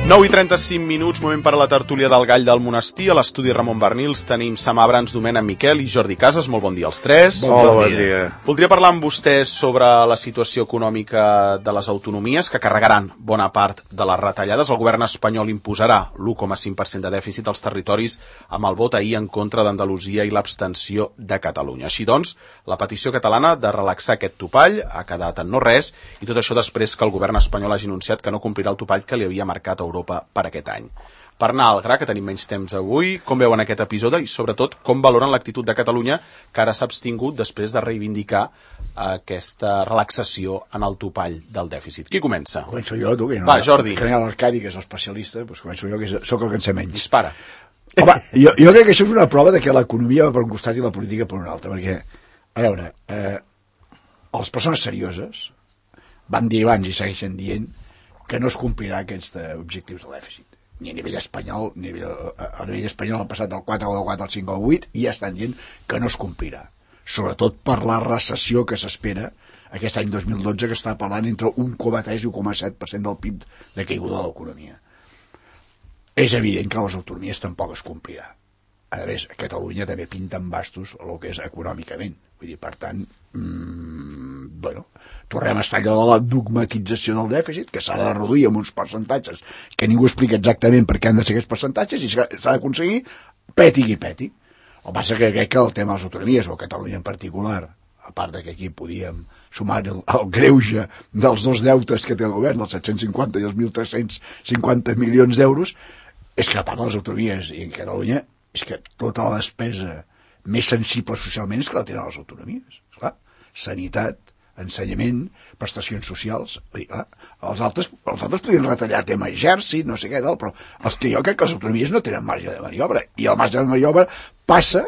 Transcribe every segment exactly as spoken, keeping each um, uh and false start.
nou i trenta-cinc minuts, moment per a la tertúlia del Gall del Monestir. A l'estudi Ramon Bernils tenim Sam Abrams, Domènec Miquel i Jordi Casas. Molt bon dia als tres. Hola, bon dia. Voldria parlar amb vostès sobre la situació econòmica de les autonomies, que carregaran bona part de les retallades. El govern espanyol imposarà l'u coma cinc per cent de dèficit als territoris amb el vot ahir en contra d'Andalusia i l'abstenció de Catalunya. Així doncs, la petició catalana de relaxar aquest topall ha quedat en no res, i tot això després que el govern espanyol hagi anunciat que no complirà el topall que li havia marcat a Europa per aquest any. Per anar al gra, que tenim menys temps avui, com veuen aquest episodi i, sobretot, com valoren l'actitud de Catalunya, que ara s'ha abstingut després de reivindicar aquesta relaxació en el topall del dèficit. Qui comença? Començo jo, tu, que no... Va, Jordi. Que no hi ha l'Arcadi, que és l'especialista, doncs començo jo, que sóc el que en sé menys. Dispara. Home, jo, jo crec que això és una prova de que l'economia va per un costat i la política per un altre, perquè, a veure, eh, les persones serioses van dir abans i segueixen dient que no es complirà aquests objectius de dèficit. Ni a nivell espanyol, ni a nivell, a nivell espanyol han passat del quatre coma quatre al cinc coma vuit i ja estan dient que no es complirà. Sobretot per la recessió que s'espera aquest any dos mil dotze, que està parlant entre un coma tres i un coma set per cent del P I B de caiguda de l'economia. És evident que les autonomies tampoc es complirà. A més, a Catalunya també pinten bastos el que és econòmicament. Vull dir, per tant, mmm, bueno, tornem a estar allò de la dogmatització del dèficit, que s'ha de reduir amb uns percentatges que ningú explica exactament per què han de ser aquests percentatges i s'ha d'aconseguir peti qui peti. El que passa que crec que el tema de les autonomies, o Catalunya en particular, a part que aquí podíem sumar el, el greuge dels dos deutes que té el govern, els set-cents cinquanta i els mil tres-cents cinquanta milions d'euros, és que a part de les autonomies i en Catalunya és que tota la despesa més sensible socialment és que la tenen les autonomies. Esclar, sanitat, ensenyament, prestacions socials. Dir, clar, els altres, els altres podien retallar tema exèrcit, no sé què tal, però els que jo crec que les autonomies no tenen marge de maniobra. I el marge de maniobra passa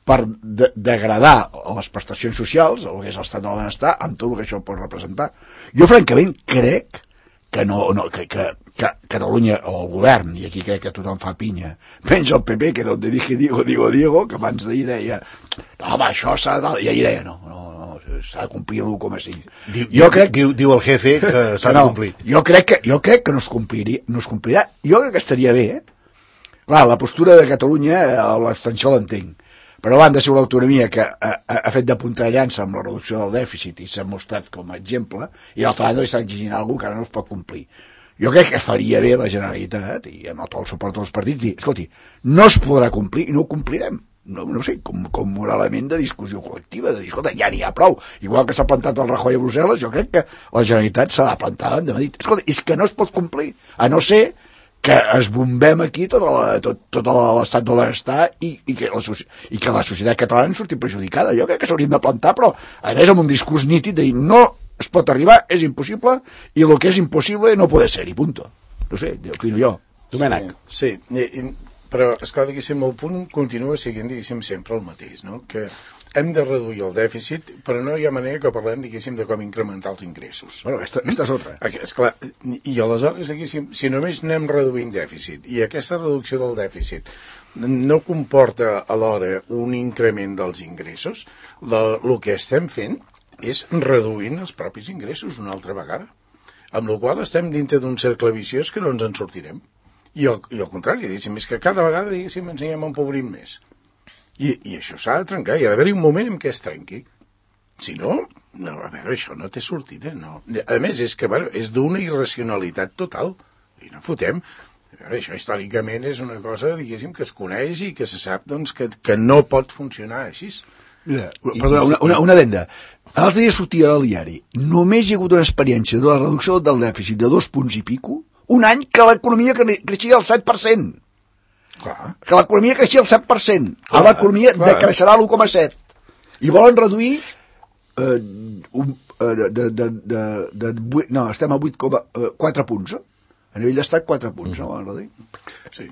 per de degradar les prestacions socials, el que és l'estat del benestar, amb tot el que això pot representar. Jo, francament, crec que no, no que, que, que Catalunya, o el govern, i aquí crec que tothom fa pinya, menys el P P, que donde dije Diego, digo Diego, que abans d'ahir deia, no, home, això s'ha de... I ahir deia, no, no, no s'ha de complir l'u coma cinc. Diu, jo crec... diu, diu el jefe que s'ha de no, complir. Jo crec que, jo crec que no es complirà, no es complirà. Jo crec que estaria bé, eh? Clar, la postura de Catalunya, l'extensió l'entenc, però a banda de ser l'autonomia que ha, ha, ha fet de punta de llança amb la reducció del dèficit i s'ha mostrat com a exemple, i l'altra banda li està exigint alguna cosa que ara no es pot complir. Jo crec que faria bé la Generalitat, i amb tot el suport dels partits, dir, escolti, no es podrà complir i no ho complirem. No, no sé, com, com un element de discussió col·lectiva, de dir, escolta, ja n'hi ha prou. Igual que s'ha plantat el Rajoy a Brussel·les, jo crec que la Generalitat s'ha de plantar davant de Madrid. Escolta, és que no es pot complir, a no ser que es bombem aquí tot, la, tot, tot l'estat de benestar i, i, que la, i que la societat catalana en surti perjudicada. Jo crec que s'haurien de plantar, però a més amb un discurs nítid de dir, no es pot arribar, és impossible, i el que és impossible no pot ser, i punto. No sé, opino jo. Domènec. Sí, sí. I, però, esclar, diguéssim, el punt continua sent, diguéssim, sempre el mateix, no? Que hem de reduir el dèficit, però no hi ha manera que parlem, diguéssim, de com incrementar els ingressos. Bueno, aquesta, aquesta és otra. Esclar, i aleshores, diguéssim, si només anem reduint dèficit, i aquesta reducció del dèficit no comporta alhora un increment dels ingressos, la, el que estem fent és reduint els propis ingressos una altra vegada, amb la qual estem dintre d'un cercle viciós que no ens en sortirem. I al, i al contrari, diguéssim, és que cada vegada, diguéssim, ens anem empobrim més. I, i això s'ha de trencar, hi ha d'haver-hi un moment en què es trenqui. Si no, no, a veure, això no té sortida, no. A més, és que, bueno, és d'una irracionalitat total. I no fotem. A veure, això històricament és una cosa, diguéssim, que es coneix i que se sap, doncs, que, que no pot funcionar així. Mira, perdona, una, una, una adenda. L'altre dia sortia al diari. Només hi ha hagut una experiència de la reducció del dèficit de dos punts i pico, un any que l'economia creixia al set per cent. Clar. Que l'economia creixia al set per cent. A l'economia decreixerà l'u coma set. I volen reduir eh, un, eh, de, de, de, de, de, de, no, estem a vuit coma quatre punts. Eh? A nivell d'estat, quatre punts, no volen reduir? Sí.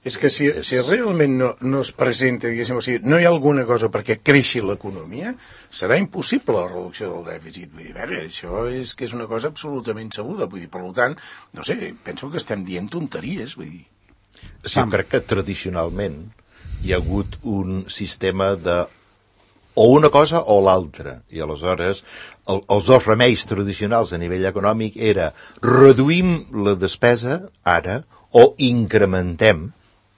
És que si, si realment no, no es presenta, diguéssim, o sigui, no hi ha alguna cosa perquè creixi l'economia, serà impossible la reducció del dèficit. Vull dir, a veure, això és que és una cosa absolutament sabuda. Vull dir, per tant, no sé, penso que estem dient tonteries, vull dir. Sí, crec que tradicionalment hi ha hagut un sistema de o una cosa o l'altra. I aleshores el, els dos remeis tradicionals a nivell econòmic era reduïm la despesa ara o incrementem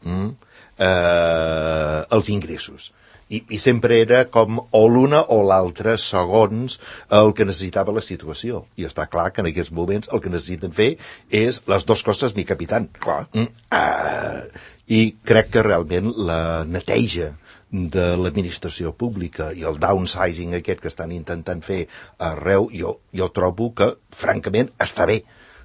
mm, eh, els ingressos. I, i sempre era com o l'una o l'altra segons el que necessitava la situació. I està clar que en aquests moments el que necessiten fer és les dues coses, mi capitán. Clar. Mm, ah, I crec que realment la neteja de l'administració pública i el downsizing aquest que estan intentant fer arreu, jo, jo trobo que, francament, està bé.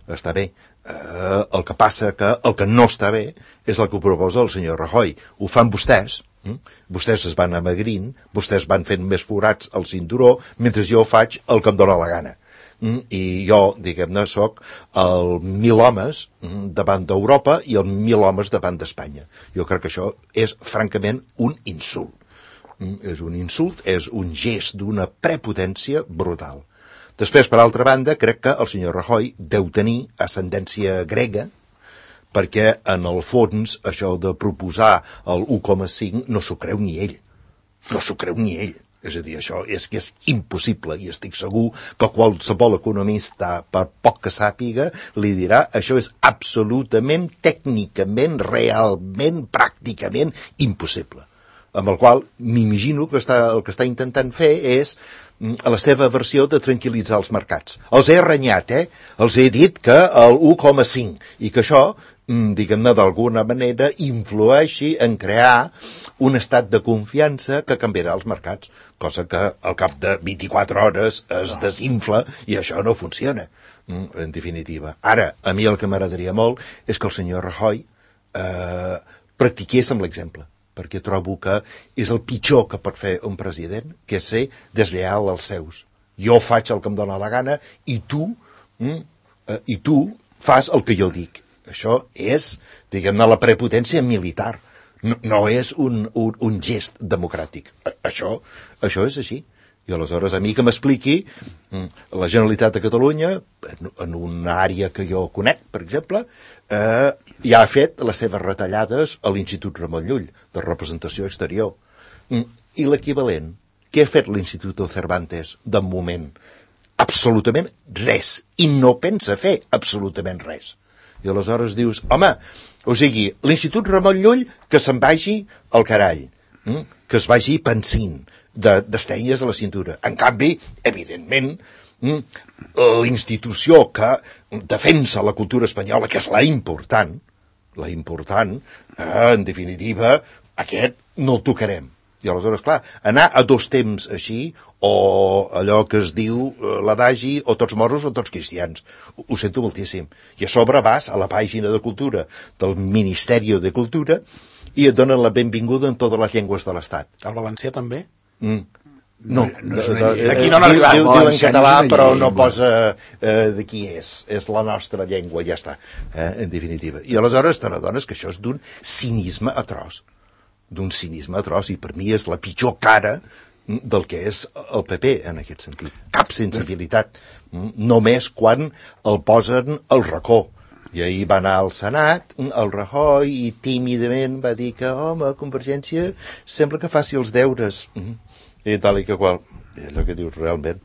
Està bé. Uh, el que passa que el que no està bé és el que ho proposa el senyor Rajoy. Ho fan vostès, hm? Vostès es van amagrint, vostès van fent més forats al cinturó, mentre jo faig el que em dóna la gana. Mm, i jo, diguem-ne, soc el mil homes mm, davant d'Europa i el mil homes davant d'Espanya. Jo crec que això és, francament, un insult. Mm, és un insult, és un gest d'una prepotència brutal. Després, per altra banda, crec que el senyor Rajoy deu tenir ascendència grega, perquè, en el fons, això de proposar el u coma cinc no s'ho creu ni ell. No s'ho creu ni ell. És a dir, això és que és impossible i estic segur que qualsevol economista, per poc que sàpiga, li dirà això és absolutament, tècnicament, realment, pràcticament impossible. Amb el qual m'imagino que està, el que està intentant fer és a la seva versió de tranquil·litzar els mercats. Els he renyat, eh? Els he dit que el u coma cinc i que això, diguem-ne, d'alguna manera influeixi en crear un estat de confiança que canviarà els mercats, cosa que al cap de vint-i-quatre hores es desinfla i això no funciona, en definitiva. Ara, a mi el que m'agradaria molt és que el senyor Rajoy eh, practiqués amb l'exemple, perquè trobo que és el pitjor que pot fer un president, que és ser deslleal als seus. Jo faig el que em dóna la gana i tu, mm, eh, i tu fas el que jo dic. Això és, diguem-ne, la prepotència militar. No, no és un, un, un gest democràtic. Això, això és així. I aleshores a mi que m'expliqui la Generalitat de Catalunya, en, en una àrea que jo conec, per exemple, eh, ja ha fet les seves retallades a l'Institut Ramon Llull, de representació exterior. I l'equivalent, què ha fet l'Institut Cervantes de moment? Absolutament res. I no pensa fer absolutament res. I aleshores dius, home, o sigui, l'Institut Ramon Llull que se'n vagi al carall, hm? Que es vagi pensint d'estenyes a la cintura. En canvi, evidentment, hm? l'institució que defensa la cultura espanyola, que és la important, la important, eh, en definitiva, aquest no el tocarem. I aleshores, clar, anar a dos temps així, o allò que es diu l'adagi, o tots moros o tots cristians. Ho sento moltíssim. I a sobre vas a la pàgina de cultura del Ministeri de Cultura i et donen la benvinguda en totes les llengües de l'Estat. El valencià també? Mm. No, no, no aquí no han arribat. Diu, diu en català, però no posa eh, de qui és. És la nostra llengua, ja està, eh, en definitiva. I aleshores te n'adones que això és d'un cinisme atroç. d'un cinisme atroç, i per mi és la pitjor cara del que és el P P en aquest sentit. Cap sensibilitat. Només quan el posen al racó. I ahir va anar al Senat, el Rajoy, i tímidament va dir que, home, Convergència sembla que faci els deures. I tal i que qual. És el que dius realment.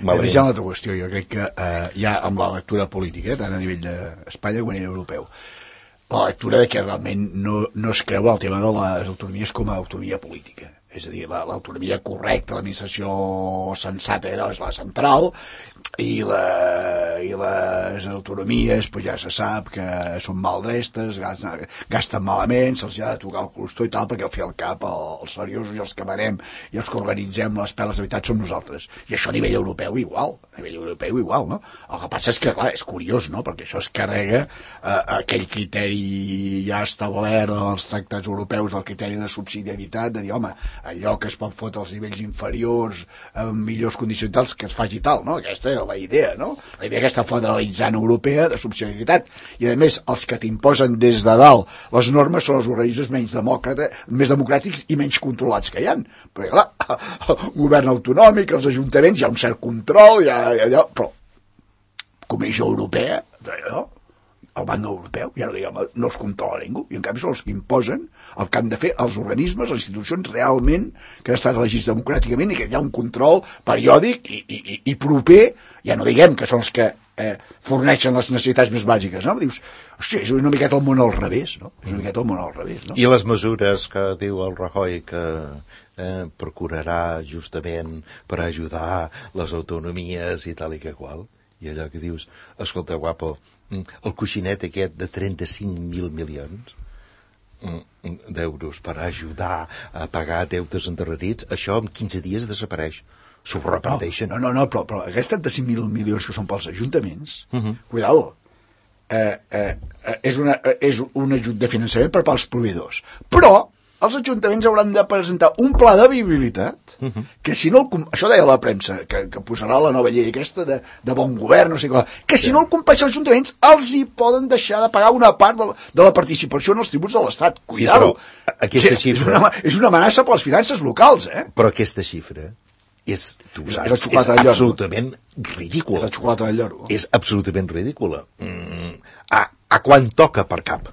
Malament. Ja una altra qüestió, jo crec que eh, ja amb la lectura política, tant a nivell d'Espanya com a nivell europeu, la lectura de que realment no, no es creu el tema de les autonomies com a autonomia política. És a dir, l'autonomia correcta, l'administració sensata és la central, i, la, i les autonomies pues ja se sap que són maldestres, gasten, gasten malament, se'ls ha de tocar el costó i tal, perquè al fi al cap els seriosos i els que manem i els que organitzem les peles de veritat som nosaltres. I això a nivell europeu igual, a nivell europeu igual, no? El que passa és que, clar, és curiós, no?, perquè això es carrega eh, aquell criteri ja establert als tractats europeus, del criteri de subsidiarietat, de dir, home, allò que es pot fotre als nivells inferiors amb millors condicions tals, que es faci tal, no? Aquesta era la idea, no? La idea aquesta federalitzant europea de subsidiarietat. I a més, els que t'imposen des de dalt les normes són els organismes menys demòcrates, més democràtics i menys controlats que hi ha. Perquè, clar, el govern autonòmic, els ajuntaments, hi ha un cert control, hi ha, hi ha, però Comissió Europea, allò, el Banc Europeu, ja no diguem, no els controla ningú, i en canvi són els que imposen el que han de fer els organismes, les institucions realment que han estat elegits democràticament i que hi ha un control periòdic i, i, i proper, ja no diguem que són els que eh, forneixen les necessitats més bàsiques, no? Dius, hòstia, és una miqueta el món al revés, no? És una miqueta el món al revés, no? I les mesures que diu el Rajoy que eh, procurarà justament per ajudar les autonomies i tal i que qual, i allò que dius, escolta, guapo, el coixinet aquest de trenta-cinc mil milions d'euros per ajudar a pagar deutes endarrerits, això en quinze dies desapareix. S'ho reparteixen. No, no, no, però, però aquests trenta-cinc mil milions que són pels ajuntaments, uh Mhm. -huh. cuidado, eh, eh, és, una, és un ajut de finançament per als proveïdors. Però els ajuntaments hauran de presentar un pla de viabilitat uh-huh. que si no el, això deia la premsa que, que posarà la nova llei aquesta de, de bon govern, no sé què, que si sí. no el compleix els ajuntaments els hi poden deixar de pagar una part de la, de la participació en els tributs de l'Estat. Cuidado, sí, aquesta xifra... és, una, és una amenaça per les finances locals, eh? Però aquesta xifra és, tu és, saps, és, és absolutament ridícula. És la xocolata del lloro. És absolutament ridícula. Mm, a, a quan toca per cap?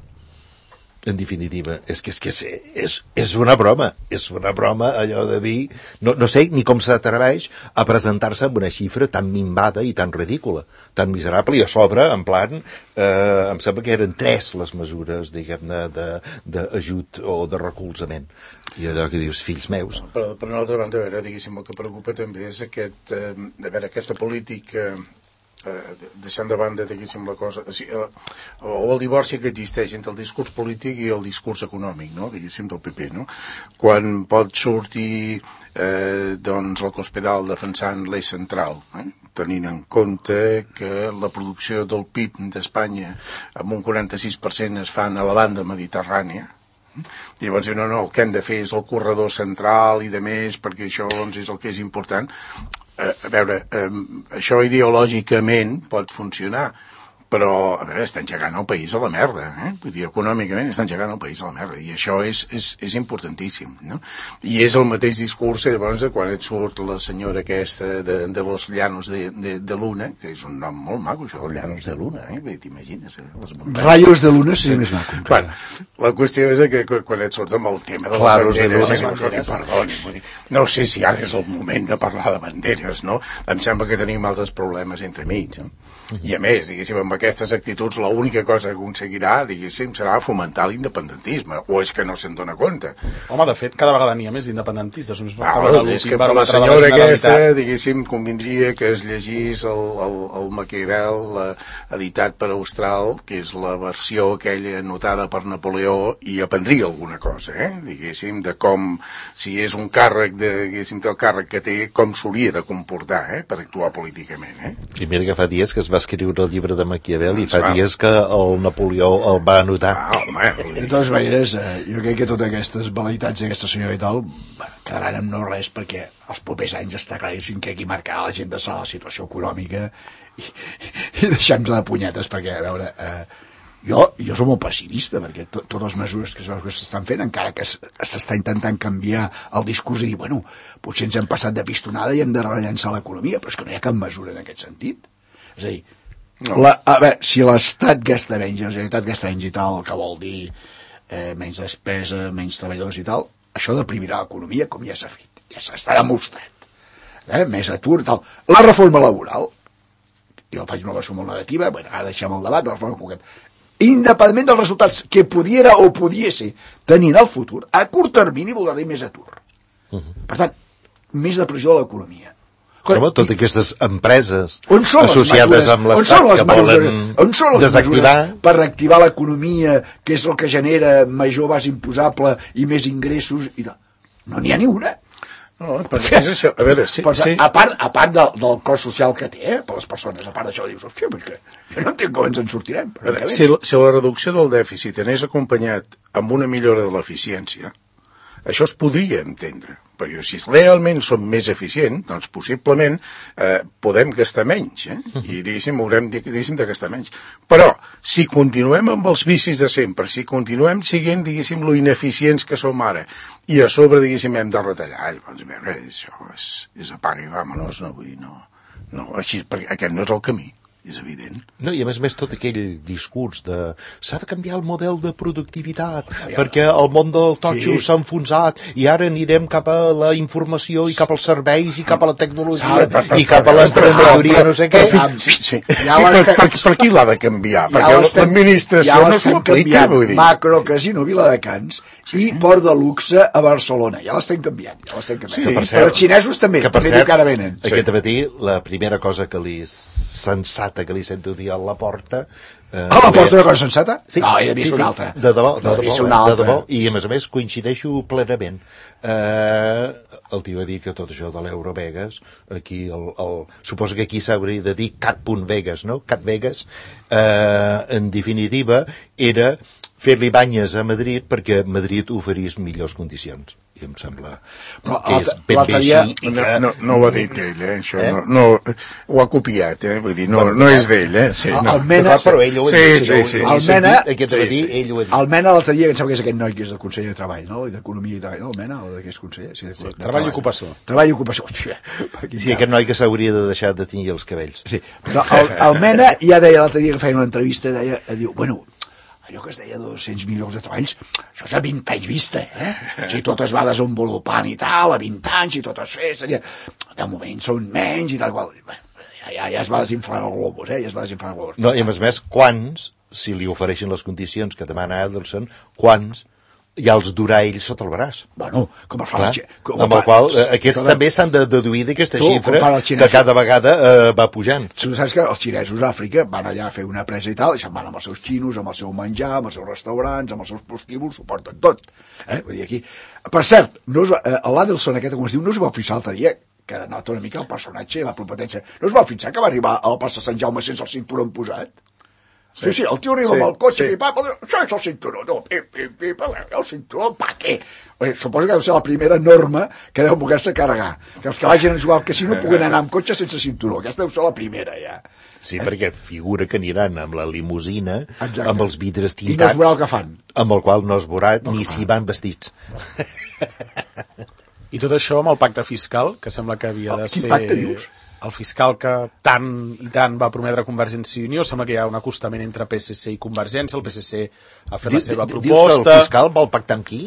En definitiva, és que és, que és, és, és una broma, és una broma allò de dir, no, no sé ni com s'atreveix a presentar-se amb una xifra tan minvada i tan ridícula, tan miserable, i a sobre, en plan, eh, em sembla que eren tres les mesures, diguem-ne, d'ajut o de recolzament. I allò que dius, fills meus. Però, per una altra banda, a veure, diguéssim, el que preocupa també és aquest, eh, a veure, aquesta política... Eh, deixant de banda, diguéssim, la cosa o, sigui, o el divorci que existeix entre el discurs polític i el discurs econòmic, no? Diguéssim, del P P, no? Quan pot sortir eh, doncs el Cospedal defensant l'eix central, eh? Tenint en compte que la producció del P I B d'Espanya amb un quaranta-sis per cent es fan a la banda mediterrània. Llavors, no, no, el que hem de fer és el corredor central i de més, perquè això doncs, és el que és important. Eh, a veure, eh, això ideològicament pot funcionar, però, a veure, està engegant el país a la merda, eh? Vull dir, econòmicament està engegant el país a la merda, i això és, és, és importantíssim, no? I és el mateix discurs, llavors, quan et surt la senyora aquesta de, de los Llanos de, de, de Luna, que és un nom molt maco, això, els Llanos de Luna, eh? T'imagines, eh? Rayos de Luna seria més maco. Bueno, la qüestió és que quan et surt amb el tema de Claros les banderes, de dius, escolti, perdoni, vull dir, no sé si ara és el moment de parlar de banderes, no? Em sembla que tenim altres problemes entre mig, no? I a més, diguéssim, amb aquestes actituds l'única cosa que aconseguirà, diguéssim, serà fomentar l'independentisme, o és que no se'n dona compte. Home, de fet, cada vegada n'hi ha més d'independentistes. Ah, well, és que per la senyora aquesta, diguéssim, convindria que es llegís el, el, el Maquiavel eh, editat per Austral, que és la versió aquella anotada per Napoleó, i aprendria alguna cosa, eh? Diguéssim, de com, si és un càrrec, de, diguéssim, del càrrec que té, com s'hauria de comportar, eh? Per actuar políticament, eh? I mira que fa dies que es va escriure el llibre de Maquiavel i fa va. dies que el Napoleó el va anotar. Ah, home, de totes maneres, eh, jo crec que totes aquestes velaitats d'aquesta senyora i tal quedaran en no res, perquè els propers anys està claríssim que aquí marcarà la gent de la situació econòmica i, i deixem-nos de punyetes, perquè, a veure, eh, jo, jo soc molt pessimista, perquè to, totes les mesures que es veu que s'estan fent, encara que s'està intentant canviar el discurs i dir, bueno, potser ens hem passat de pistonada i hem de rellençar l'economia, però és que no hi ha cap mesura en aquest sentit. És a dir, no. la, a veure, si l'Estat gasta menys, la Generalitat gasta menys i tal, que vol dir eh, menys despesa, menys treballadors i tal, això deprimirà l'economia, com ja s'ha fet, ja s'està demostrat. Eh, més atur i tal. La reforma laboral, jo faig una versió molt negativa, bueno, ara deixem el debat, la reforma laboral, independentment dels resultats que pudiera o pudiese tenir en el futur, a curt termini voldrà dir més atur. Uh -huh. Per tant, més depressió de l'economia. Home, totes aquestes empreses associades mesures, amb l'Estat que volen desactivar per reactivar l'economia, que és el que genera major base imposable i més ingressos i tal. No n'hi ha ni una. No, perquè és això. A veure, sí, Però, sí. A part, a part del, del cost social que té, eh, per les persones, a part d'això, dius, hòstia, perquè jo no entenc com ens en sortirem. Veure, si, la, si la reducció del dèficit anés acompanyat amb una millora de l'eficiència, això es podria entendre, perquè si realment som més eficients, doncs possiblement eh, podem gastar menys, eh? I diguéssim, haurem diguéssim, de gastar menys. Però, si continuem amb els vicis de sempre, si continuem siguent, diguéssim, lo ineficients que som ara, i a sobre, diguéssim, hem de retallar, doncs, a veure, això és, és apaga i vámonos, no vull dir, no, no, així, perquè aquest no és el camí. és evident. No, i a més a més tot aquell discurs de s'ha de canviar el model de productivitat perquè el món del totxo Sí. s'ha enfonsat i ara anirem cap a la informació i cap als serveis i cap a la tecnologia Per- per- i cap a l'emprenedoria, no sé què. Sí, sí. Ja sí, per, l'estem- per, per qui l'ha de canviar? Ja Perquè l'estem- l'administració ja no l'estem s'ho aplica, canviant. vull dir. Macro, casino, Viladecans i port de luxe a Barcelona. Ja l'estem canviant, ja l'estem canviant. Sí, Que per per cert- Però els xinesos també, que per també cert, diu que ara venen. aquest matí la primera cosa que li sensata que li sento dir a la porta eh, A la porta una cosa sensata? Sí, No, hi havia sí, una sí, altra. De debò, de No, hi debò, havia una eh, de altra. debò, i a més a més coincideixo plenament. Eh, el tio va dir que tot això de l'Eurovegas, aquí, el, el, suposo que aquí s'hauria de dir cat.vegas, no? Cat Vegas, eh, en definitiva, era fer-li banyes a Madrid perquè Madrid oferís millors condicions. I em sembla Però que és l'altre- ben bé l'altre dia- així. i No, que- no, no ho ha dit ell, eh? Això Eh? no, no, ho ha copiat, eh? Vull dir, no, Bueno, no és d'ell, eh? Sí, el- no. el Mena- Clar, però ell ho ha Sí, dit. sí, jo ho- sí. jo ho he El Mena- sentit Aquest Sí, matí, sí. ell ho ha dit. El Mena l'altre dia, que em sembla que és aquest noi que és del conseller de Treball, no? I d'Economia i Treball, no? El Mena, o de què és conseller? Sí, de, Sí, de Treball i Ocupació. Treball i Ocupació. Hòstia, quin Sí, aquest noi que s'hauria de deixar de tenir els cabells. Sí, però el, el Mena ja deia l'altre dia que feia una entrevista, deia, diu, bueno, allò que es deia dos-cents mil llocs de treballs, això és a vint anys vista, eh? Si tot es va desenvolupant i tal, a vint anys, i tot es fes, seria... de moment són menys i tal qual. Bé, ja, ja, ja es va desinflar el globus, eh? Ja es va desinflar el globus. No, i a més a més, quants, si li ofereixen les condicions que demana Adelson, quants ja els durà ell sota el braç? Bueno, com es fa... Clar, la xe- com amb fa- el qual eh, aquests com- també s'han de deduir d'aquesta Tu, com xifra fan els que xinesos. cada vegada eh, va pujant. Tu saps que els xinesos a Àfrica van allà a fer una presa i tal, i se'n van amb els seus xinos, amb el seu menjar, amb els seus restaurants, amb els seus prostíbuls, ho porten tot. Eh? Vull dir, aquí... Per cert, no us va, eh, l'Adelson aquest, com es diu, no us va fixar l'altre dia, que denota una mica el personatge i la competència. No us va fixar que va arribar a la plaça Sant Jaume sense el cinturó posat? Sí, sí, el tio arriba Sí, amb el cotxe sí. i pa, això és el cinturó, no, pim, pim, pim, el cinturó, pa què? Bé, suposo que deu ser la primera norma que deu poder-se carregar, que els que vagin a jugar al casino puguen anar amb cotxe sense cinturó, aquesta deu ser la primera, ja. Sí, perquè figura que aniran amb la limusina, Exacte. amb els vidres I no es tintats, veurà el que fan. amb el qual no es veurà ni si van vestits. I tot això amb el pacte fiscal, que sembla que havia Oh, de quin ser... pacte dius? El fiscal que tant i tant va prometre Convergència i Unió, sembla que hi ha un acostament entre P S C i Convergència, el P S C ha fet la seva Dius que el proposta... fiscal vol pactar amb qui?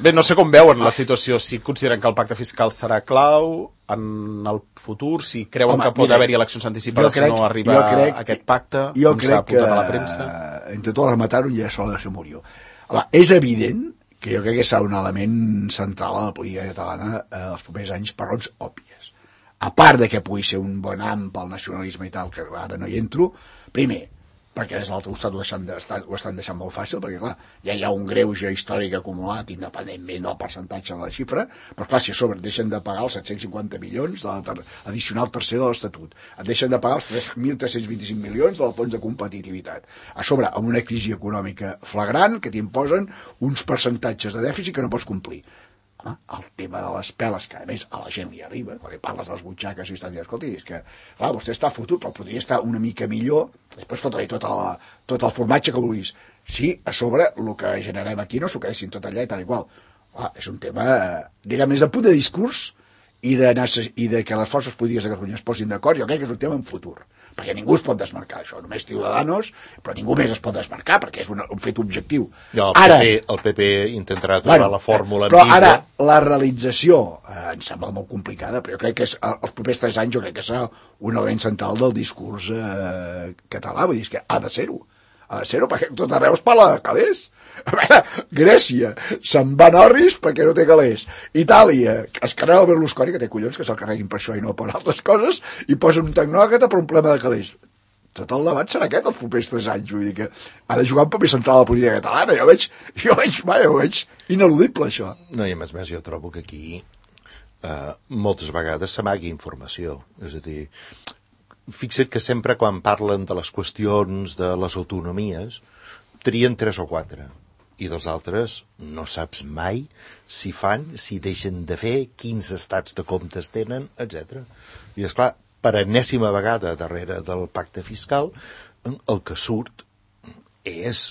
Bé, no sé com veuen la situació, si consideren que el pacte fiscal serà clau en el futur, si creuen Home, que pot mira, haver-hi eleccions anticipades si no arriba jo crec, a aquest pacte, jo com s'ha crec que apuntat a la premsa. eh, entre tots rematar-ho ja sola se murió. Home, és evident que jo crec que serà un element central a la política catalana eh, els propers anys per raons òbvies. A part de que pugui ser un bon am pel nacionalisme i tal, que ara no hi entro, primer, perquè des de l'altre costat ho, deixen de, ho estan deixant molt fàcil, perquè clar, ja hi ha un greuge històric acumulat independentment del percentatge de la xifra, però clar, si a sobre et deixen de pagar els set-cents cinquanta milions de la ter addicional tercera de l'Estatut, et deixen de pagar els mil tres-cents vint-i-cinc milions del fons de competitivitat, a sobre amb una crisi econòmica flagrant que t'imposen uns percentatges de dèficit que no pots complir. Home, el tema de les peles, que a més a la gent li arriba, perquè parles de les butxaques i estan dient, escolta, és que, clar, vostè està fotut, però podria estar una mica millor, després fotre-li tot, el, tot el formatge que vulguis. Sí, a sobre, el que generem aquí no s'ho quedessin tot allà i tal i qual. Clar, és un tema, diguem, més de punt de discurs i de, i de que les forces polítiques de Catalunya es posin d'acord, jo crec que és un tema en futur, perquè ningú es pot desmarcar això, només Ciudadanos, però ningú més es pot desmarcar perquè és un, un fet objectiu. No, el, Ara, PP, el P P intentarà trobar bueno, la fórmula però ambigua. ara la realització eh, em sembla molt complicada, però jo crec que és, els propers tres anys jo crec que serà un element central del discurs eh, català, vull dir que ha de ser-ho, ha de ser-ho perquè tot arreu es parla de calés. A veure, Grècia se'n va a Norris perquè no té calés. Itàlia es carrega el Berlusconi, que té collons que se'l carreguin per això i no per altres coses, i posen un tecnòcrata per un problema de calés. Tot el debat serà aquest els propers tres anys, vull dir que ha de jugar un paper central a la política catalana, jo veig, jo veig, va, jo veig ineludible això. No, i a més a més jo trobo que aquí eh, moltes vegades s'amagui informació, és a dir, fixa't que sempre quan parlen de les qüestions de les autonomies trien tres o quatre i dels altres no saps mai si fan, si deixen de fer, quins estats de comptes tenen, etcètera. I és clar, per enèsima vegada darrere del pacte fiscal, el que surt és,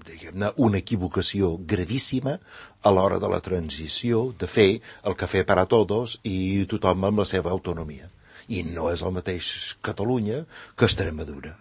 diguem-ne, una equivocació gravíssima a l'hora de la transició, de fer el cafè per a tots i tothom amb la seva autonomia. i no és el mateix Catalunya que Extremadura.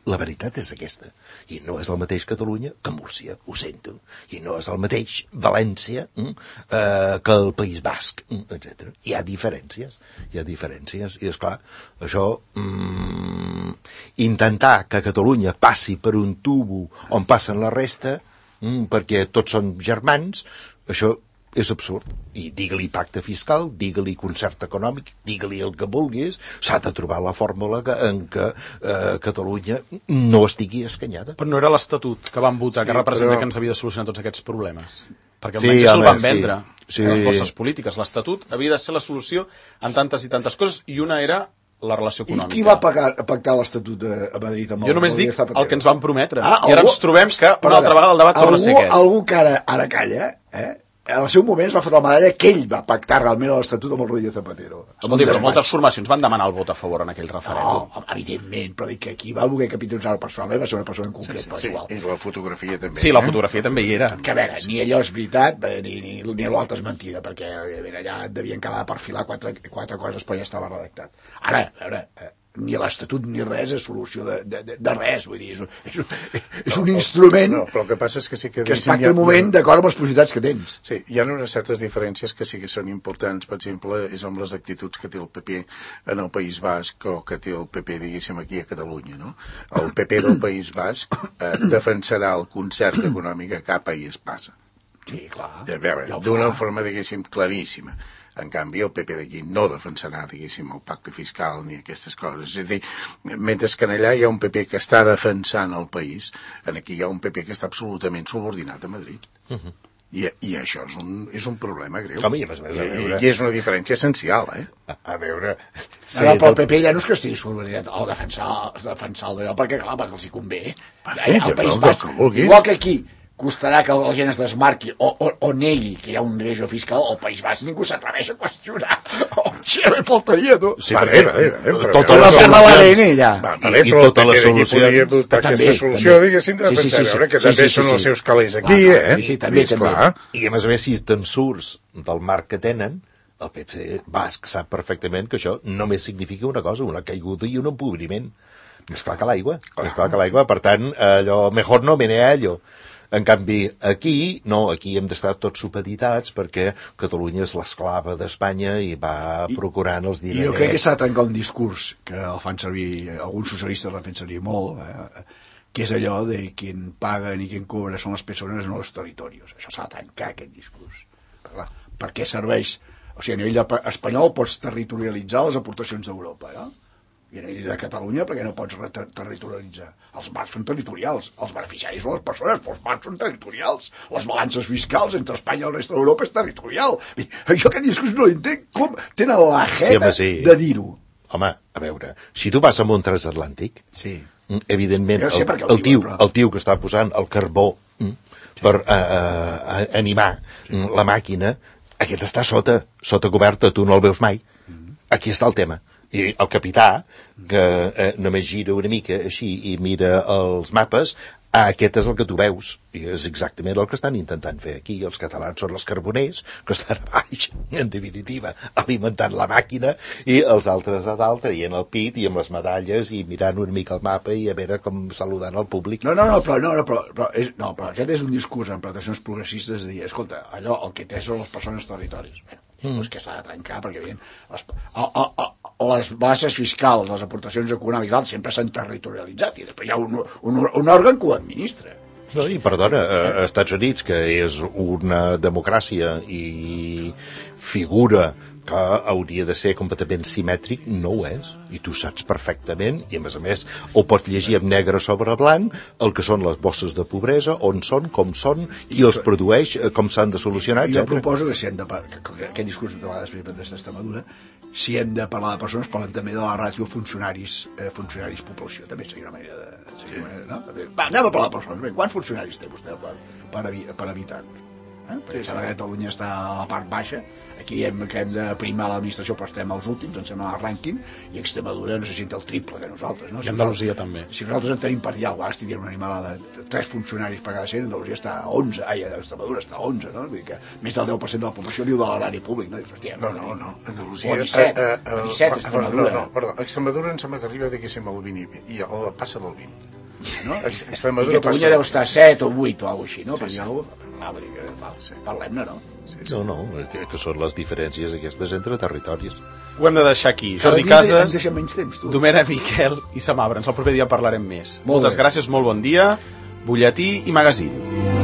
La veritat és aquesta. I no és el mateix Catalunya que Múrcia, ho sento. I no és el mateix València eh, que el País Basc, etcètera. Hi ha diferències. Hi ha diferències. I, esclar, això... Mm, intentar que Catalunya passi per un tubo on passen la resta, mm, perquè tots són germans, això és absurd. I digue-li pacte fiscal, digue-li concert econòmic, digue-li el que vulguis, s'ha de trobar la fórmula que, en què eh, Catalunya no estigui escanyada. Però no era l'Estatut que van votar, sí, que representa però... que ens havia de solucionar tots aquests problemes. Perquè almenys sí, se'l van vendre sí. a les forces polítiques. L'Estatut havia de ser la solució en tantes i tantes coses, i una era la relació econòmica. I qui va pagar, pactar l'Estatut a Madrid? Amb jo el, només dic el que ens van prometre. Ah, I ara algú... ens trobem que una altra vegada el debat torna a ser aquest. Algú que ara, ara calla, eh? En el seu moment es va fotre la medalla que ell va pactar realment l'Estatut amb el Rodríguez Zapatero. Escolti, però moltes formacions van demanar el vot a favor en aquell referèndum. No, evidentment, però dic que aquí va voler capitalitzar personalment, va ser una persona en concret, sí, però sí, igual. I la fotografia també. Sí, la fotografia eh? també hi era. Que a veure, ni allò és veritat, ni, ni, ni l'altre és mentida, perquè a veure, allà devien quedar per filar quatre, quatre coses, però ja estava redactat. Ara, a veure... Eh, ni l'Estatut ni res és solució de, de, de res, vull dir, és un, és un, és un no, instrument no, però el que passa és que sí que... que es pacta el moment d'acord amb les possibilitats que tens. Sí, hi ha unes certes diferències que sí que són importants, per exemple, és amb les actituds que té el P P en el País Basc o que té el P P, diguéssim, aquí a Catalunya, no? El P P del País Basc eh, defensarà el concert econòmic que cap país passa. Sí, clar. A veure, d'una forma, diguéssim, claríssima. En canvi, el P P d'aquí no defensarà, diguéssim, el pacte fiscal ni aquestes coses. És a dir, mentre que allà hi ha un P P que està defensant el país, aquí hi ha un P P que està absolutament subordinat a Madrid. Uh-huh. I, I això és un, és un problema greu. Com, i, a més, a veure... I, I és una diferència essencial, eh? A, a veure... Sí, no, però el P P ja no és que estigui subordinat o defensar, defensar el d'allò, perquè clar, perquè els hi convé. Eh, el País Basc, igual que aquí, costarà que la gent es desmarqui o, o, o negui que hi ha un greuge fiscal al País Basc, ningú s'atreveix a qüestionar. Oh, tia, me faltaria, tu. Sí, vale, vale, vale, tota la solució... Vale, i tota la solució... Podria adoptar aquesta solució, diguéssim, de defensar, veure, que també són els seus calés aquí, eh? Sí, sí, també, també. I a més a més, si te'n surts del marc que tenen, el P P basc sap perfectament que això només significa una cosa, una caiguda i un empobriment. Més clar que l'aigua. Més clar que l'aigua. Per tant, allò, mejor no meneallo. En canvi, aquí, no, aquí hem d'estar tots supeditats perquè Catalunya és l'esclava d'Espanya i va I, procurant els diners. I jo crec que s'ha de trencar un discurs que el fan servir, alguns socialistes l'han fet servir molt, eh, que és allò de qui paga i qui cobra són les persones, no els territoris. Això s'ha de trencar, aquest discurs. Per, clar, per què serveix? O sigui, a nivell espanyol pots territorialitzar les aportacions d'Europa, no? I a nivell de Catalunya, perquè no pots territorialitzar. Els marcs són territorials, els beneficiaris són les persones, però els marcs són territorials. Les balances fiscals entre Espanya i el reste d'Europa és territorial. Jo aquest discurs no l'entenc, com tenen la jeta sí, sí. de dir-ho. Home, a veure, si tu vas amb un transatlàntic, sí. evidentment, el, el, el, tio, però... el tio que està posant el carbó sí. per uh, uh, animar sí. la màquina, aquest està sota, sota coberta, tu no el veus mai. Mm. Aquí està el tema. I el capità, que eh, només gira una mica així i mira els mapes, ah, aquest és el que tu veus. I és exactament el que estan intentant fer aquí. Els catalans són els carboners, que estan a baix, en definitiva, alimentant la màquina, i els altres a dalt traient el pit i amb les medalles i mirant una mica el mapa i a veure com saludant el públic. No, no, no, però, no, no, però, però, és, no, però aquest és un discurs en plantacions progressistes de dir, escolta, allò, el que té són les persones territoris. Bueno, mm. és que s'ha de trencar, perquè bien, les, el, el, el, les bases fiscals, les aportacions econòmiques sempre s'han territorialitzat i després hi ha un, un, un òrgan que ho administra. No, i perdona, a Estats Units, que és una democràcia i figura que hauria de ser completament simètric, no ho és. I tu saps perfectament, i a més a més ho pots llegir amb negre sobre blanc, el que són les bosses de pobresa, on són, com són, qui els produeix, com s'han de solucionar, etcètera. Jo proposo que si hem de... Que aquest discurs de vegades d'aquesta madura, si hem de parlar de persones, parlem també de la ràtio funcionaris, eh, funcionaris població. També seria una manera de... Seria una manera, no? Va, anem a parlar de persones. Bé, quants funcionaris té vostè per, per, per habitant? Eh? Sí, sí. Catalunya està a la part baixa, aquí hem, que hem de primar l'administració, però estem als últims, ens sembla el rànquing, i Extremadura necessita el triple de nosaltres. No? I Andalusia també. Si nosaltres en tenim per allà, o estic dient una animalada, tres funcionaris per cada cent, Andalusia està a onze, ai, Extremadura està a onze, no? Vull dir que més del deu per cent de la població viu de l'erari públic, no? Dius, hòstia, no, no, no, Andalusia... O disset, eh, eh, disset, Extremadura. No, no, perdó, Extremadura em sembla que arriba, diguéssim, al vint i el passa del vint. No? Extremadura I Catalunya deu estar a set o vuit o alguna cosa així, no? Sí, sí. Ah, vull dir que, val, sí. Parlem-ne, no? Sí, sí. No, no, que, que són les diferències aquestes entre territoris. Ho hem de deixar aquí. Jordi Casas, temps, Domènec Miquel i Sam Abrams. El proper dia parlarem més. Molt Moltes bé. gràcies, molt bon dia. Butlletí i magazín.